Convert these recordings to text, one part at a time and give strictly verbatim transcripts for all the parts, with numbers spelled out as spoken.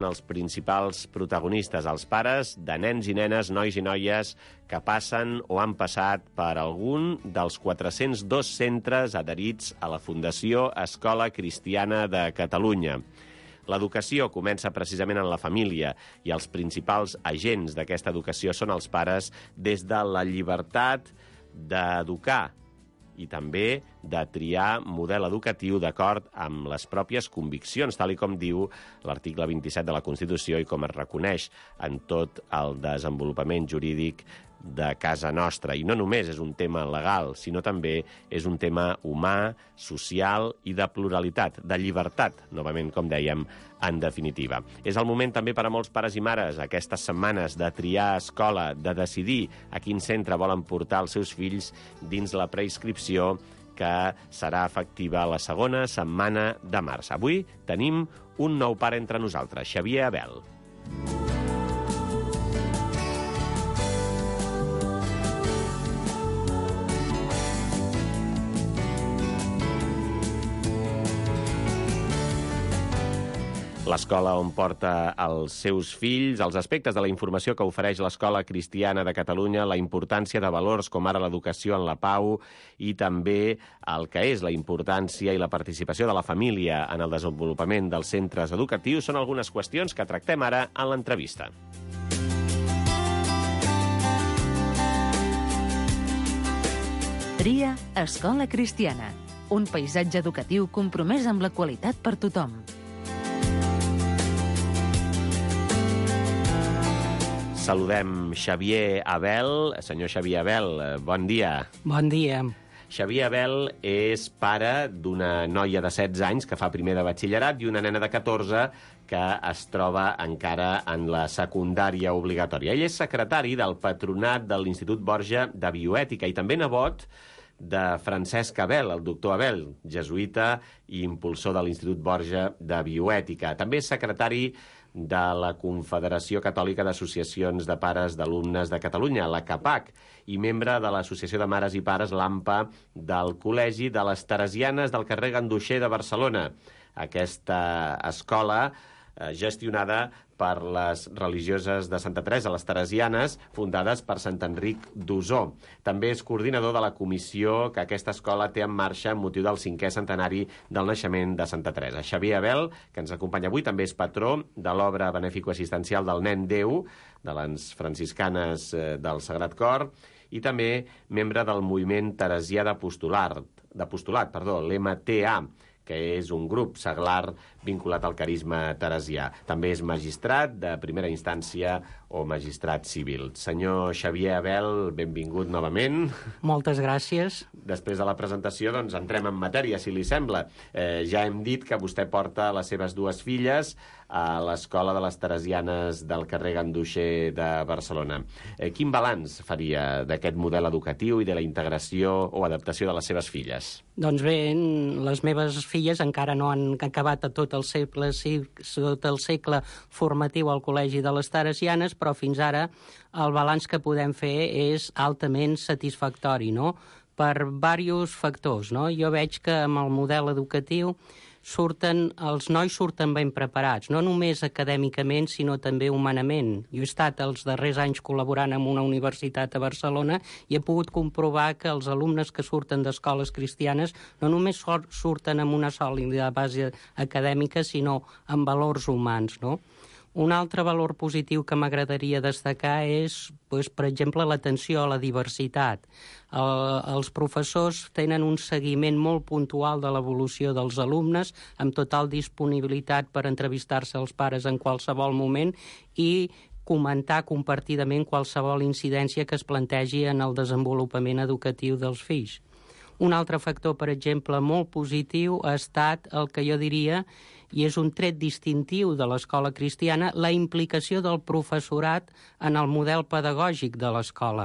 Els principals protagonistes, els pares de nens i nenes, nois i noies que passen o han passat per algun dels quatre-cents dos centres adherits a la Fundació Escola Cristiana de Catalunya. L'educació comença precisament en la família i els principals agents d'aquesta educació són els pares des de la llibertat d'educar i també de triar model educatiu d'acord amb les pròpies conviccions, tal i com diu l'article vint-i-set de la Constitució i com es reconeix en tot el desenvolupament jurídic de casa nostra. I no només és un tema legal, sinó també és un tema humà, social i de pluralitat, de llibertat, novament, com dèiem, en definitiva. És el moment també per a molts pares i mares, aquestes setmanes, de triar escola, de decidir a quin centre volen portar els seus fills dins la preinscripció que serà efectiva la segona setmana de març. Avui tenim un nou pare entre nosaltres, Xavier Abel. L'escola on porta els seus fills, els aspectes de la informació que ofereix l'Escola Cristiana de Catalunya, la importància de valors com ara l'educació en la pau i també el que és la importància i la participació de la família en el desenvolupament dels centres educatius són algunes qüestions que tractem ara en l'entrevista. Tria Escola Cristiana, un paisatge educatiu compromès amb la qualitat per tothom. Saludem Xavier Abel. Senyor Xavier Abel, bon dia. Bon dia. Xavier Abel és pare d'una noia de setze anys que fa primer de batxillerat i una nena de catorze que es troba encara en la secundària obligatòria. Ell és secretari del patronat de l'Institut Borja de Bioètica i també nebot de Francesc Abel, el doctor Abel, jesuïta i impulsor de l'Institut Borja de Bioètica. També és secretari de la Confederació Catòlica d'Associacions de Pares d'Alumnes de Catalunya, la CAPAC, i membre de l'Associació de Mares i Pares, l'AMPA, del Col·legi de les Teresianes del carrer Ganduxer de Barcelona. Aquesta escola eh, gestionada per les religioses de Santa Teresa, les Teresianes, fundades per Sant Enric d'Osor. També és coordinador de la comissió que aquesta escola té en marxa amb motiu del cinquè centenari del naixement de Santa Teresa. Xavier Abel, que ens acompanya avui, també és patró de l'obra beneficoassistencial del Nen Déu, de les franciscanes del Sagrat Cor, i també membre del moviment teresià d'apostolat, d'apostolat, perdó, l'M T A, que és un grup seglar vinculat al carisma teresià. També és magistrat de primera instància o magistrat civil. Senyor Xavier Abel, benvingut novament. Moltes gràcies. Després de la presentació, doncs, entrem en matèria, si li sembla. Eh, ja hem dit que vostè porta les seves dues filles a l'Escola de les Teresianes del carrer Ganduxer de Barcelona. Eh, quin balanç faria d'aquest model educatiu i de la integració o adaptació de les seves filles? Doncs bé, les meves filles encara no han acabat a tot el segle, tot el segle formatiu al Col·legi de les Teresianes, però fins ara el balanç que podem fer és altament satisfactori, no? Per diversos factors, no? Jo veig que amb el model educatiu surten, els nois surten ben preparats, no només acadèmicament, sinó també humanament. Jo he estat els darrers anys col·laborant amb una universitat a Barcelona i he pogut comprovar que els alumnes que surten d'escoles cristianes no només surten amb una sòlida base acadèmica, sinó amb valors humans, no? Un altre valor positiu que m'agradaria destacar és, doncs, per exemple, l'atenció a la diversitat. El, els professors tenen un seguiment molt puntual de l'evolució dels alumnes, amb total disponibilitat per entrevistar-se als pares en qualsevol moment i comentar compartidament qualsevol incidència que es plantegi en el desenvolupament educatiu dels fills. Un altre factor, per exemple, molt positiu ha estat el que jo diria, i és un tret distintiu de l'escola cristiana, la implicació del professorat en el model pedagògic de l'escola.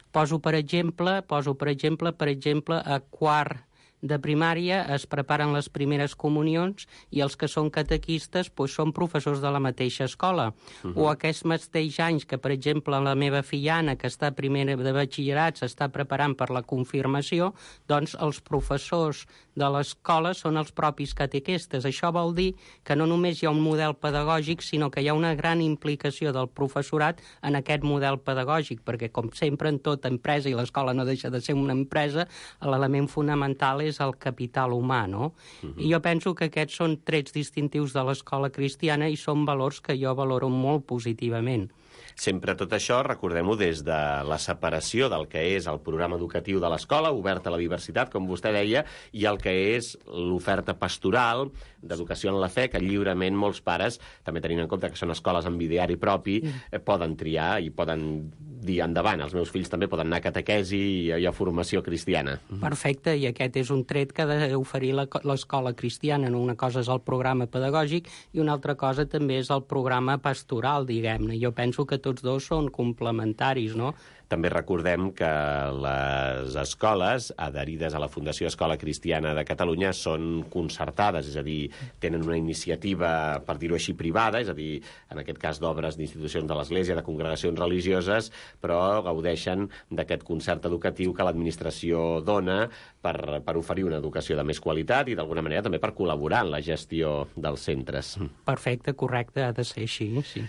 Poso per exemple, poso per exemple, per exemple, a quart de primària es preparen les primeres comunions i els que són catequistes doncs, són professors de la mateixa escola. Uh -huh. O aquests mateixos anys que, per exemple, la meva filla Anna, que està a primera de batxillerat, s'està preparant per la confirmació, doncs els professors de l'escola són els propis catequistes. Això vol dir que no només hi ha un model pedagògic, sinó que hi ha una gran implicació del professorat en aquest model pedagògic, perquè, com sempre, en tota empresa, i l'escola no deixa de ser una empresa, l'element fonamental és el capital humà, no? Uh-huh. I jo penso que aquests són trets distintius de l'escola cristiana i són valors que jo valoro molt positivament. Sempre tot això, recordem-ho, des de la separació del que és el programa educatiu de l'escola, obert a la diversitat, com vostè deia, i el que és l'oferta pastoral d'educació en la fe, que lliurement molts pares, també tenint en compte que són escoles amb ideari propi, eh, poden triar i poden dir endavant. Els meus fills també poden anar a catequesi i, i a formació cristiana. Perfecte, i aquest és un tret que ha d'oferir l'escola cristiana. Una cosa és el programa pedagògic i una altra cosa també és el programa pastoral, diguem-ne. Jo penso que tots dos són complementaris, no? També recordem que les escoles adherides a la Fundació Escola Cristiana de Catalunya són concertades, és a dir, tenen una iniciativa, per dir-ho així, privada, és a dir, en aquest cas d'obres d'institucions de l'Església, de congregacions religioses, però gaudeixen d'aquest concert educatiu que l'administració dona per, per oferir una educació de més qualitat i, d'alguna manera, també per col·laborar en la gestió dels centres. Perfecte, correcte, ha de ser així, sí.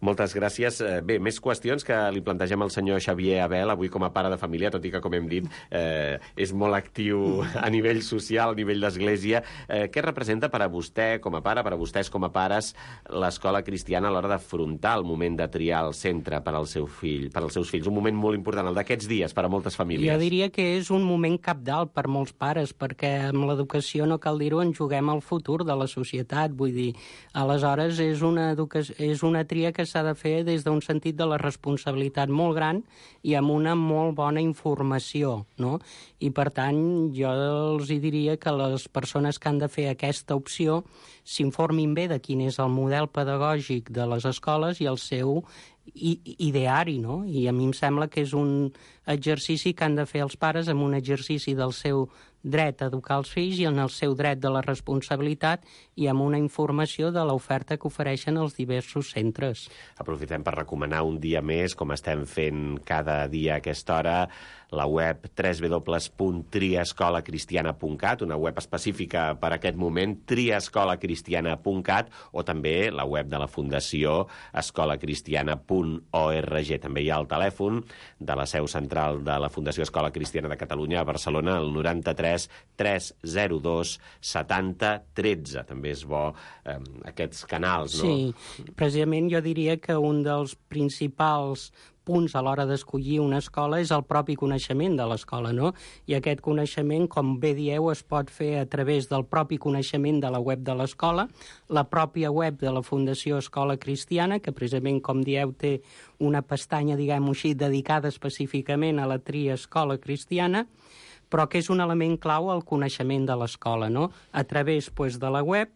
Moltes gràcies. Bé, més qüestions que li plantegem al senyor Xavier Abel, avui com a pare de família, tot i que, com hem dit, eh, és molt actiu a nivell social, a nivell d'església. Eh, què representa per a vostè com a pare, per a vostès com a pares, l'escola cristiana a l'hora d'afrontar el moment de triar el centre per al seu fill, per als seus fills? Un moment molt important, el d'aquests dies, per a moltes famílies. Jo diria que és un moment cabdal per molts pares, perquè amb l'educació, no cal dir-ho, en juguem el futur de la societat. Vull dir, aleshores és una, educació, és una tria que s'ha de fer des d'un sentit de la responsabilitat molt gran i amb una molt bona informació, no? I, per tant, jo els diria que les persones que han de fer aquesta opció s'informin bé de quin és el model pedagògic de les escoles i el seu ideari, no? I a mi em sembla que és un exercici que han de fer els pares amb un exercici del seu dret a educar els fills i en el seu dret de la responsabilitat i amb una informació de l'oferta que ofereixen els diversos centres. Aprofitem per recomanar un dia més, com estem fent cada dia a aquesta hora, la web w w w punt triescola cristiana punt cat, una web específica per a aquest moment, triescola cristiana punt cat, o també la web de la Fundació escola cristiana punt org. També hi ha el telèfon de la seu central de la Fundació Escola Cristiana de Catalunya a Barcelona, el noranta-tres tres zero dos setanta tretze. També és bo eh, aquests canals, no? Sí, precisament jo diria que un dels principals punts a l'hora d'escollir una escola és el propi coneixement de l'escola, no? I aquest coneixement, com bé dieu, es pot fer a través del propi coneixement de la web de l'escola, la pròpia web de la Fundació Escola Cristiana, que precisament, com dieu, té una pestanya, diguem-ho així, dedicada específicament a la tria Escola Cristiana, però que és un element clau al coneixement de l'escola, no? A través doncs, de la web.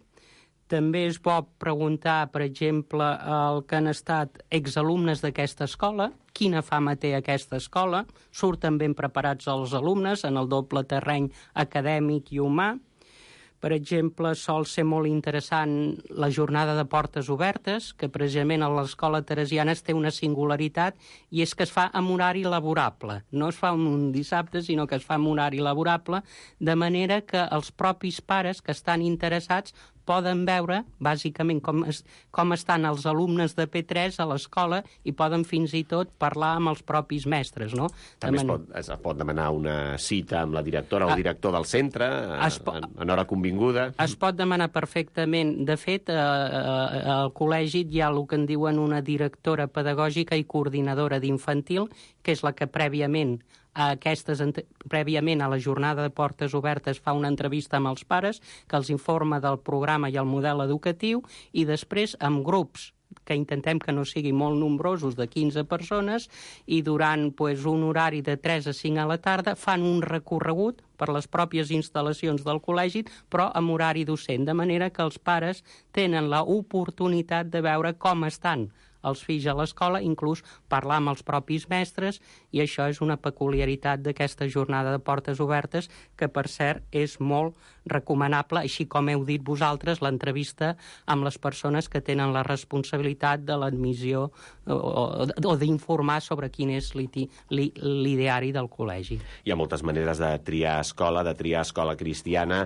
També és bo preguntar, per exemple, el que han estat exalumnes d'aquesta escola, quina fama té aquesta escola, surten ben preparats els alumnes en el doble terreny acadèmic i humà. Per exemple, sol ser molt interessant la jornada de portes obertes, que precisament a l'escola teresiana es té una singularitat, i és que es fa amb horari laborable. No es fa un dissabte, sinó que es fa amb horari laborable, de manera que els propis pares que estan interessats poden veure, bàsicament, com, es, com estan els alumnes de P tres a l'escola i poden fins i tot parlar amb els propis mestres, no? També man... es, pot, es pot demanar una cita amb la directora o el director del centre, po... en, en hora convinguda. Es pot demanar perfectament. De fet, eh, eh, al col·legi hi ha el que en diuen una directora pedagògica i coordinadora d'infantil, que és la que prèviament a aquestes, prèviament a la jornada de portes obertes fa una entrevista amb els pares que els informa del programa i el model educatiu i després amb grups que intentem que no siguin molt nombrosos, de quinze persones, i durant pues, un horari de tres a cinc a la tarda fan un recorregut per les pròpies instal·lacions del col·legi, però amb horari docent, de manera que els pares tenen l'oportunitat de veure com estan els fills a l'escola, inclús parlar amb els propis mestres, i això és una peculiaritat d'aquesta jornada de portes obertes, que, per cert, és molt recomanable, així com heu dit vosaltres, l'entrevista amb les persones que tenen la responsabilitat de l'admissió o, o, o d'informar sobre quin és l'ideari del col·legi. Hi ha moltes maneres de triar escola, de triar escola cristiana.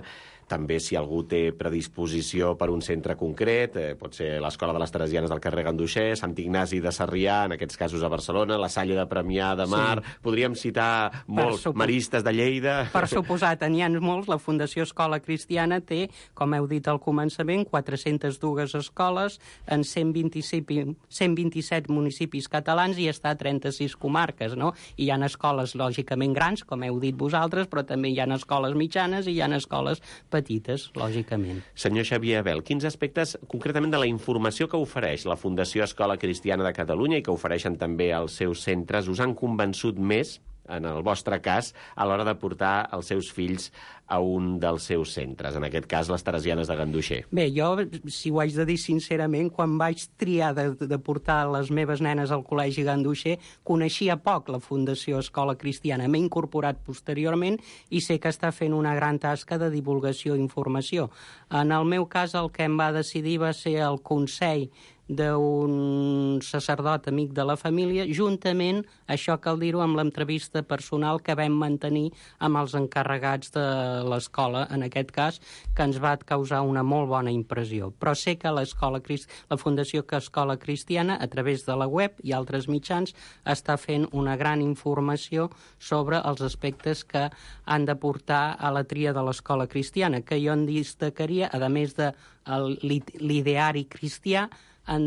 També, si algú té predisposició per un centre concret, eh, pot ser l'Escola de les Teresianes del carrer Ganduxer, Sant Ignasi de Sarrià, en aquests casos a Barcelona, la Salle de Premià de Mar... Sí. Podríem citar molts, supo... Maristes de Lleida... Per suposat, n'hi ha molts. La Fundació Escola Cristiana té, com heu dit al començament, quatre-centes dues escoles en cent vint-i-set municipis catalans i està a trenta-sis comarques, no? I hi ha escoles, lògicament, grans, com heu dit vosaltres, però també hi ha escoles mitjanes i hi ha escoles petites, lògicament. Senyor Xavier Abel, quins aspectes concretament de la informació que ofereix la Fundació Escola Cristiana de Catalunya i que ofereixen també als seus centres us han convençut més, en el vostre cas, a l'hora de portar els seus fills a un dels seus centres, en aquest cas les Teresianes de Ganduxer? Bé, jo, si ho haig de dir sincerament, quan vaig triar de, de portar les meves nenes al Col·legi Ganduxer, coneixia poc la Fundació Escola Cristiana. M'he incorporat posteriorment i sé que està fent una gran tasca de divulgació i informació. En el meu cas, el que em va decidir va ser el consell d'un sacerdot amic de la família, juntament, això cal dir-ho, amb l'entrevista personal que vam mantenir amb els encarregats de l'escola, en aquest cas, que ens va causar una molt bona impressió. Però sé que l'escola, la Fundació Escola Cristiana, a través de la web i altres mitjans, està fent una gran informació sobre els aspectes que han de portar a la tria de l'escola cristiana, que jo en destacaria, a més de l'ideari cristià, en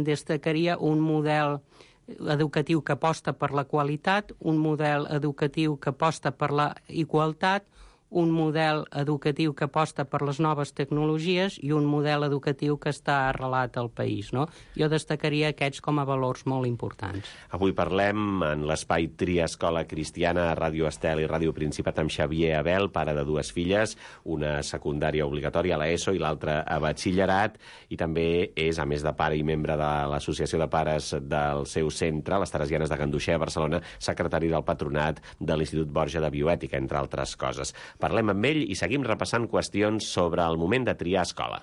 destacaria un model educatiu que aposta per la qualitat, un model educatiu que aposta per la igualtat, un model educatiu que aposta per les noves tecnologies i un model educatiu que està arrelat al país, no? Jo destacaria aquests com a valors molt importants. Avui parlem en l'espai Tria Escola Cristiana a Ràdio Estel i Ràdio Principat amb Xavier Abel, pare de dues filles, una secundària obligatòria a l'ESO i l'altra a batxillerat, i també és, a més de pare i membre de l'Associació de Pares del seu centre, les Teresianes de Ganduxer a Barcelona, secretari del patronat de l'Institut Borja de Bioètica, entre altres coses. Parlem amb ell i seguim repassant qüestions sobre el moment de triar escola.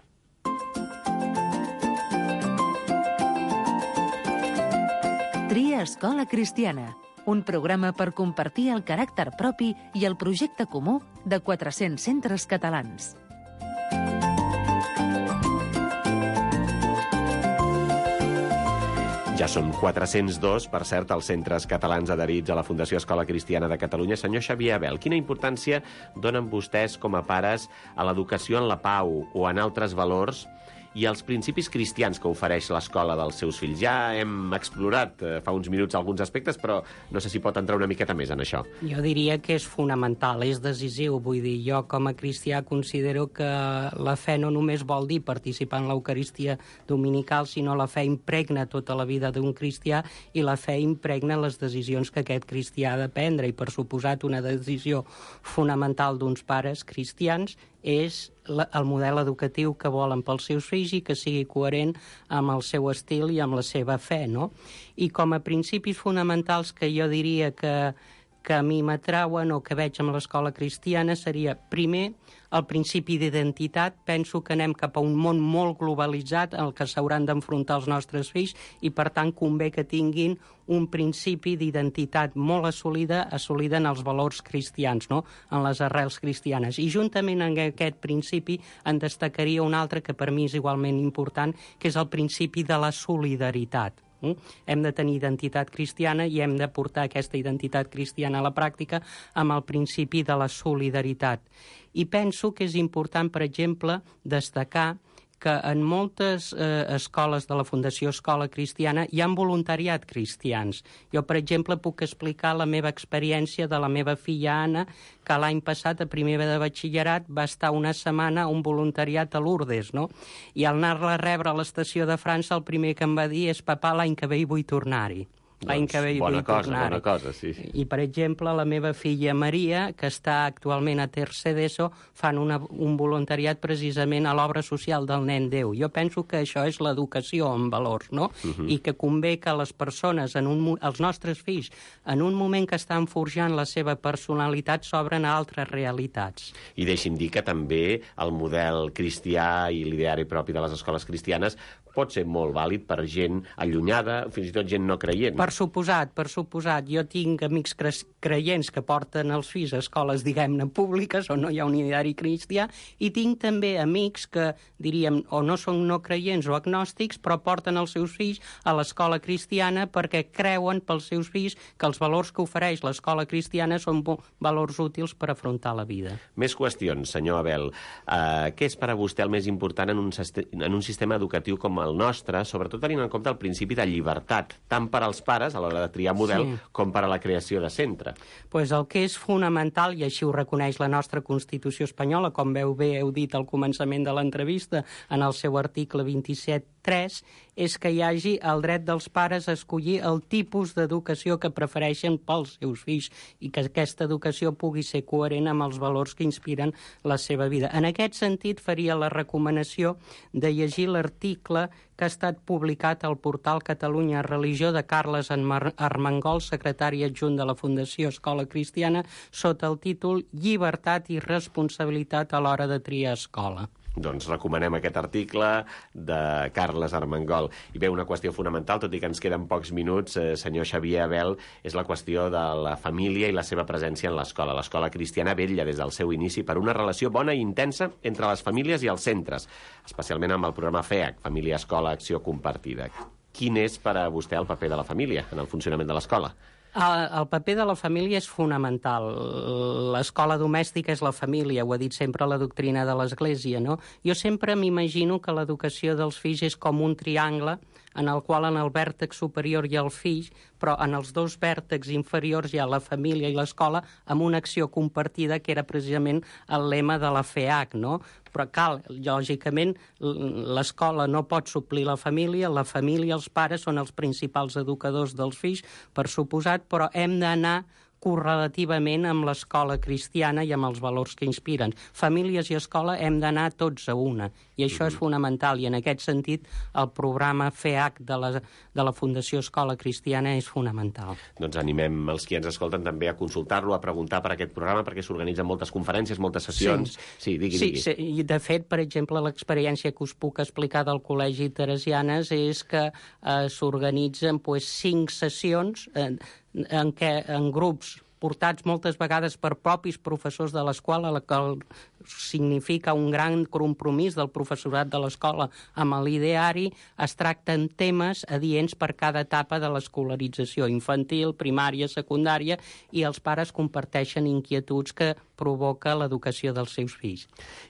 Tria Escola Cristiana, un programa per compartir el caràcter propi i el projecte comú de quatre-cents centres catalans. Ja són quatre-cents dos, per cert, els centres catalans adherits a la Fundació Escola Cristiana de Catalunya. Senyor Xavier Abel, quina importància donen vostès com a pares a l'educació en la pau o en altres valors i els principis cristians que ofereix l'escola dels seus fills? Ja hem explorat eh, fa uns minuts alguns aspectes, però no sé si pot entrar una miqueta més en això. Jo diria que és fonamental, és decisiu. Vull dir, jo com a cristià considero que la fe no només vol dir participar en l'Eucaristia dominical, sinó la fe impregna tota la vida d'un cristià i la fe impregna les decisions que aquest cristià ha de prendre. I, per suposat, una decisió fonamental d'uns pares cristians és el model educatiu que volen pels seus fills i que sigui coherent amb el seu estil i amb la seva fe, no? I com a principis fonamentals que jo diria que, que a mi m'atrauen o que veig amb l'escola cristiana seria, primer, el principi d'identitat. Penso que anem cap a un món molt globalitzat en el que s'hauran d'enfrontar els nostres fills i, per tant, convé que tinguin un principi d'identitat molt assolida, assolida en els valors cristians, no? En les arrels cristianes. I juntament amb aquest principi en destacaria un altre que per mi és igualment important, que és el principi de la solidaritat. Mm? Hem de tenir identitat cristiana i hem de portar aquesta identitat cristiana a la pràctica amb el principi de la solidaritat. I penso que és important, per exemple, destacar que en moltes eh, escoles de la Fundació Escola Cristiana hi ha voluntariat cristians. Jo, per exemple, puc explicar la meva experiència de la meva filla Anna, que l'any passat, a primer de batxillerat, va estar una setmana a un voluntariat a Lourdes, no? I al anar-la a rebre a l'estació de França, el primer que em va dir és: papà, l'any que ve hi vull tornar-hi. l'any que ve bona vull cosa, tornar. bona cosa, sí, sí. I, per exemple, la meva filla Maria, que està actualment a tercer d'ESO, fan una, un voluntariat precisament a l'obra social del Nen Déu. Jo penso que això és l'educació en valors, no? Uh-huh. I que convé que les persones, en un, els nostres fills, en un moment que estan forjant la seva personalitat, s'obren a altres realitats. I deixi'm dir que també el model cristià i l'ideari propi de les escoles cristianes pot ser molt vàlid per gent allunyada, fins i tot gent no creient. Per suposat, per suposat. Jo tinc amics cre creients que porten els fills a escoles, diguem-ne, públiques, on no hi ha un ideari cristià, i tinc també amics que, diríem, o no són no creients o agnòstics, però porten els seus fills a l'escola cristiana perquè creuen pels seus fills que els valors que ofereix l'escola cristiana són valors útils per afrontar la vida. Més qüestions, senyor Abel. Uh, què és per a vostè el més important en un, en un sistema educatiu com el nostre, sobretot tenint en compte el principi de llibertat, tant per als pares a l'hora de triar model sí. com per a la creació de centre? Pues el que és fonamental, i així ho reconeix la nostra Constitució espanyola, com veu bé heu dit al començament de l'entrevista, en el seu article vint-i-set tres, és que hi hagi el dret dels pares a escollir el tipus d'educació que prefereixen pels seus fills i que aquesta educació pugui ser coherent amb els valors que inspiren la seva vida. En aquest sentit, faria la recomanació de llegir l'article que ha estat publicat al portal Catalunya Religió de Carles Armengol, secretari adjunt de la Fundació Escola Cristiana, sota el títol Llibertat i responsabilitat a l'hora de triar escola. Doncs recomanem aquest article de Carles Armengol. I bé, una qüestió fonamental, tot i que ens queden pocs minuts, eh, senyor Xavier Abel, és la qüestió de la família i la seva presència en l'escola. L'escola cristiana vetlla des del seu inici per una relació bona i intensa entre les famílies i els centres, especialment amb el programa FEAC, Família, Escola, Acció Compartida. Quin és per a vostè el paper de la família en el funcionament de l'escola? El, el paper de la família és fonamental. L'escola domèstica és la família, ho ha dit sempre la doctrina de l'Església, no? Jo sempre m'imagino que l'educació dels fills és com un triangle en el qual en el vèrtex superior hi ha el fill, però en els dos vèrtexs inferiors hi ha la família i l'escola amb una acció compartida que era precisament el lema de la FEAC, no? Però cal, lògicament, l'escola no pot suplir la família, la família i els pares són els principals educadors dels fills, per suposat, però hem d'anar correlativament amb l'escola cristiana i amb els valors que inspiren. Famílies i escola hem d'anar tots a una, i això és fonamental, i en aquest sentit el programa FEAC de la, de la Fundació Escola Cristiana és fonamental. Doncs animem els qui ens escolten també a consultar-lo, a preguntar per aquest programa, perquè s'organitzen moltes conferències, moltes sessions. Sí, sí digui, sí, digui. Sí, i de fet, per exemple, l'experiència que us puc explicar del Col·legi Teresianes és que eh, s'organitzen pues, cinc sessions eh, en què en grups portats moltes vegades per propis professors de l'escola, la qual significa un gran compromís del professorat de l'escola amb l'ideari, es tracten temes adients per cada etapa de l'escolarització, infantil, primària, secundària, i els pares comparteixen inquietuds que provoca l'educació dels seus fills.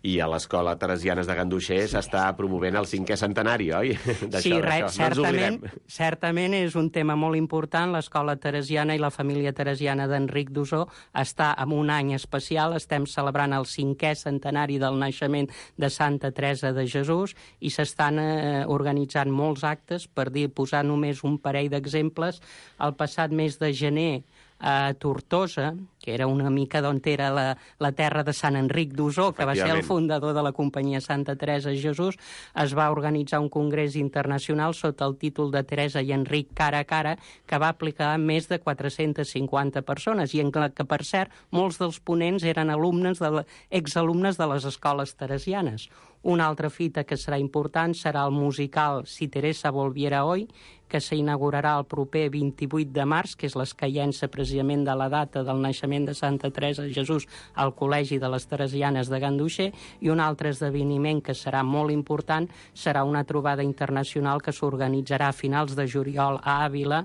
I a l'Escola Teresianes de Ganduxer sí. s'està promovent el cinquè centenari, oi? Sí, res, no certament, certament és un tema molt important. L'Escola Teresiana i la família teresiana d'Enric d'Ossó està en un any especial. Estem celebrant el cinquè centenari del naixement de Santa Teresa de Jesús i s'estan eh, organitzant molts actes. Per dir, posar només un parell d'exemples, el passat mes de gener a Tortosa, que era una mica d'on era la, la terra de Sant Enric d'Ossó, que va ser el fundador de la companyia Santa Teresa de Jesús, es va organitzar un congrés internacional sota el títol de Teresa i Enric cara a cara, que va aplicar més de quatre-centes cinquanta persones, i en què, per cert, molts dels ponents eren alumnes de la, exalumnes de les escoles teresianes. Una altra fita que serà important serà el musical Si Teresa volviera hoy, que s'inaugurarà el proper vint-i-vuit de març, que és l'escaient-se precisament de la data del naixement de Santa Teresa de Jesús al Col·legi de les Teresianes de Ganduxer, i un altre esdeveniment que serà molt important serà una trobada internacional que s'organitzarà a finals de juliol a Àvila,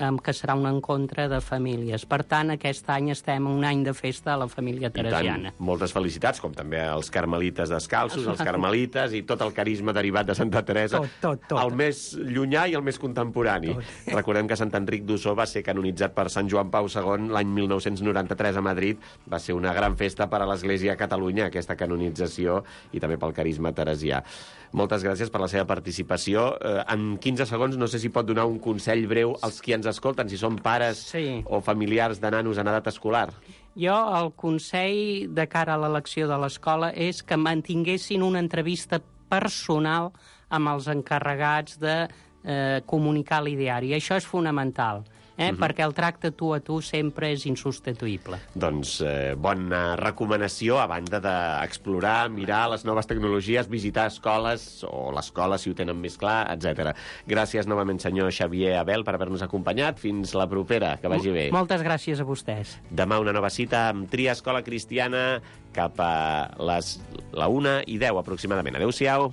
que serà un encontre de famílies. Per tant, aquest any estem un any de festa a la família teresiana. I tant, moltes felicitats, com també als carmelites descalços, als carmelites i tot el carisma derivat de Santa Teresa. Tot, tot, tot. El més llunyà i el més contemporani. Tot. Recordem que Sant Enric d'Ossó va ser canonitzat per Sant Joan Pau segon l'any mil nou-cents noranta-tres a Madrid. Va ser una gran festa per a l'Església a Catalunya, aquesta canonització, i també pel carisma teresià. Moltes gràcies per la seva participació. En quinze segons, no sé si pot donar un consell breu als qui ens escolten, si són pares Sí. o familiars de nanos en edat escolar? Jo, el consell de cara a l'elecció de l'escola és que mantinguessin una entrevista personal amb els encarregats de eh, comunicar l'ideari. Això és fonamental, eh? uh-huh. perquè el tracte tu a tu sempre és insubstituïble. Doncs eh, bona recomanació, a banda d'explorar, mirar les noves tecnologies, visitar escoles, o l'escola si ho tenen més clar, etcètera. Gràcies novament, senyor Xavier Abel, per haver-nos acompanyat. Fins la propera, que vagi bé. Moltes gràcies a vostès. Demà una nova cita amb Tria Escola Cristiana cap a les, la una i deu aproximadament. Adéu-siau.